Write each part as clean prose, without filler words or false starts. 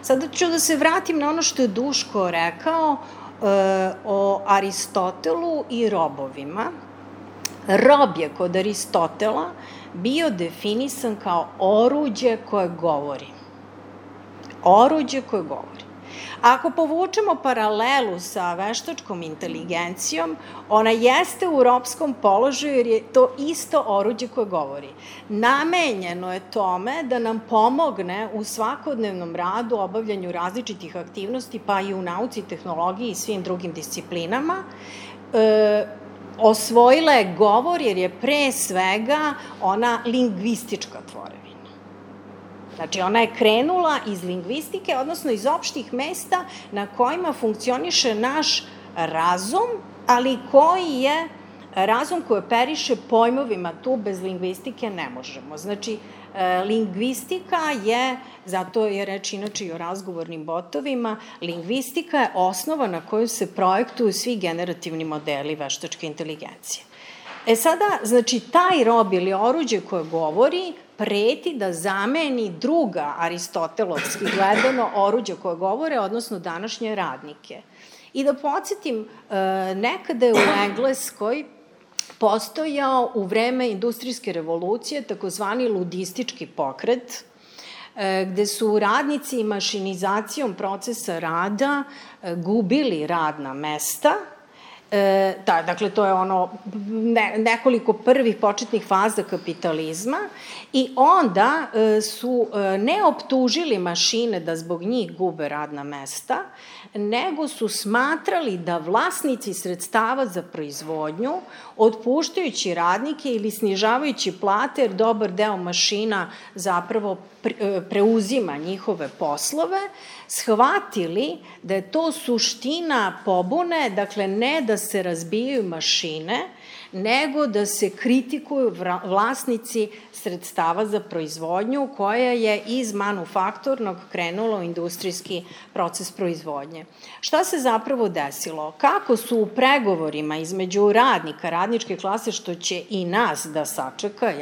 Sada ću da se vratim na ono što je Duško rekao o Aristotelu i robovima. Rob je kod Aristotela bio definisan kao oruđe koje govori. Oruđe koje govori. Ako povučemo paralelu sa veštačkom inteligencijom, ona jeste u robskom položaju jer je to isto oruđe koje govori. Namenjeno je tome da nam pomogne u svakodnevnom radu, obavljanju različitih aktivnosti, pa i u nauci, tehnologiji i svim drugim disciplinama. Osvojila je govor jer je pre svega ona lingvistička tvorevina. Znači, ona je krenula iz lingvistike, odnosno iz opštih mesta na kojima funkcioniše naš razum, ali koji je razum koji operiše pojmovima, tu bez lingvistike ne možemo. Znači, lingvistika je, zato je reč inače i o razgovornim botovima, lingvistika je osnova na koju se projektuju svi generativni modeli veštačke inteligencije. Sada, znači, taj rob ili oruđe koje govori preti da zameni druga aristotelovski gledano oruđe koje govore, odnosno današnje radnike. I da podsjetim, nekada je u Engleskoj postojao u vreme industrijske revolucije takozvani ludistički pokret, gde su radnici mašinizacijom procesa rada gubili radna mesta. Dakle, to je ono nekoliko prvih početnih faza kapitalizma i onda su ne optužili mašine da zbog njih gube radna mesta, nego su smatrali da vlasnici sredstava za proizvodnju, otpuštajući radnike ili snižavajući plate, jer dobar deo mašina zapravo preuzima njihove poslove, shvatili da je to suština pobune, dakle ne da se razbijaju mašine, nego da se kritikuju vlasnici sredstava za proizvodnju koja je iz manufakturnog krenula u industrijski proces proizvodnje. Šta se zapravo desilo? Kako su u pregovorima između radnika, radničke klase, što će i nas da sačeka,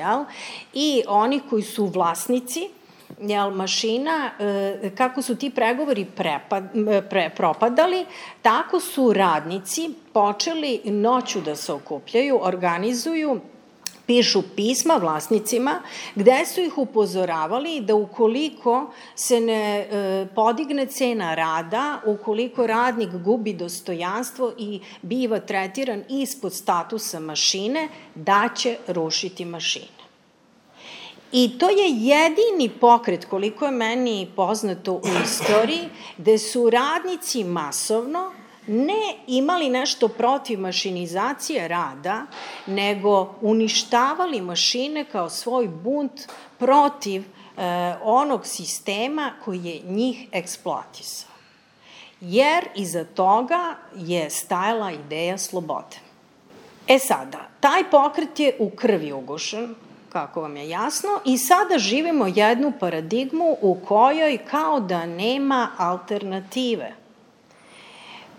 i oni koji su vlasnici mašina, kako su ti pregovori propadali, tako su radnici počeli noću da se okupljaju, organizuju, pišu pisma vlasnicima, gde su ih upozoravali da ukoliko se ne podigne cena rada, ukoliko radnik gubi dostojanstvo i biva tretiran ispod statusa mašine, da će rušiti mašine. I to je jedini pokret, koliko je meni poznato u istoriji, gde su radnici masovno ne imali nešto protiv mašinizacije rada, nego uništavali mašine kao svoj bunt protiv onog sistema koji je njih eksploatisao. Jer iza toga je stajala ideja slobode. Sada, taj pokret je u krvi ugušen, kako vam je jasno, i sada živimo jednu paradigmu u kojoj kao da nema alternative.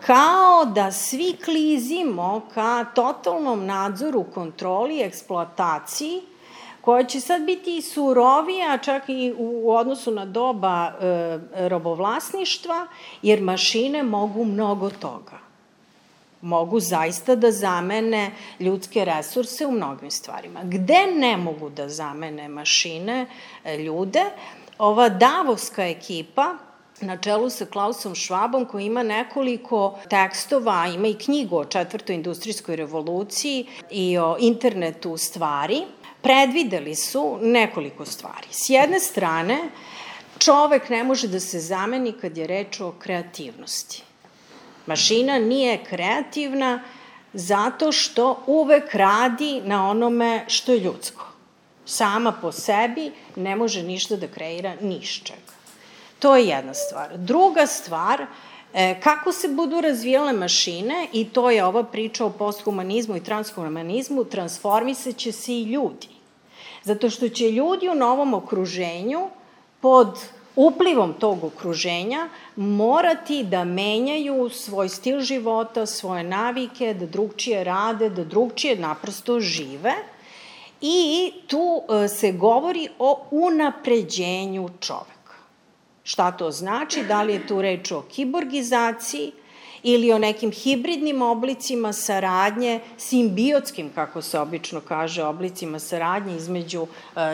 Kao da svi klizimo ka totalnom nadzoru, kontroli, eksploataciji, koja će sad biti i surovija, čak i u odnosu na doba robovlasništva, jer mašine mogu mnogo toga. Mogu zaista da zamene ljudske resurse u mnogim stvarima. Gde ne mogu da zamene mašine ljude? Ova davovska ekipa, na čelu sa Klausom Schwabom, koji ima nekoliko tekstova, ima i knjigu o četvrtoj industrijskoj revoluciji i o internetu stvari, predvideli su nekoliko stvari. S jedne strane, čovek ne može da se zameni kad je reč o kreativnosti. Mašina nije kreativna zato što uvek radi na onome što je ljudsko. Sama po sebi ne može ništa da kreira nišćega. To je jedna stvar. Druga stvar, kako se budu razvijale mašine, i to je ova priča o posthumanizmu i transhumanizmu, transformisat će se i ljudi. Zato što će ljudi u novom okruženju pod uplivom tog okruženja morati da menjaju svoj stil života, svoje navike, da drugčije rade, da drugčije naprosto žive i tu se govori o unapređenju čoveka. Šta to znači? Da li je tu reč o kiborgizaciji ili o nekim hibridnim oblicima saradnje, simbiotskim, kako se obično kaže, oblicima saradnje između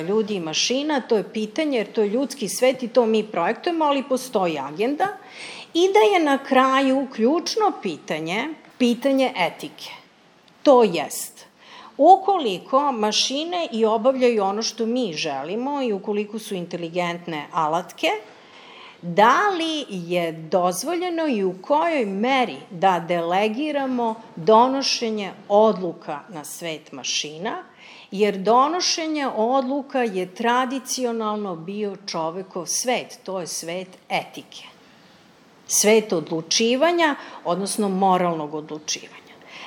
ljudi i mašina? To je pitanje, jer to je ljudski svet i to mi projektujemo, ali postoji agenda. I da je na kraju ključno pitanje etike. To jest, ukoliko mašine i obavljaju ono što mi želimo i ukoliko su inteligentne alatke, da li je dozvoljeno i u kojoj meri da delegiramo donošenje odluka na svet mašina, jer donošenje odluka je tradicionalno bio čovekov svet, to je svet etike. Svet odlučivanja, odnosno moralnog odlučivanja.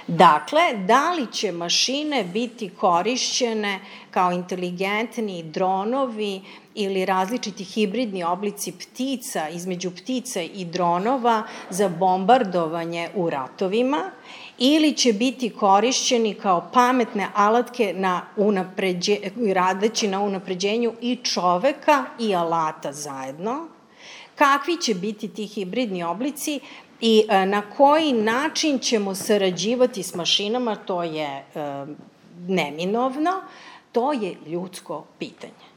Dakle, da li će mašine biti korišćene kao inteligentni dronovi ili različiti hibridni oblici ptica, između ptica i dronova za bombardovanje u ratovima, ili će biti korišćeni kao pametne alatke radeći na unapređenju i čoveka i alata zajedno, kakvi će biti ti hibridni oblici i na koji način ćemo sarađivati s mašinama, to je neminovno, to je ljudsko pitanje.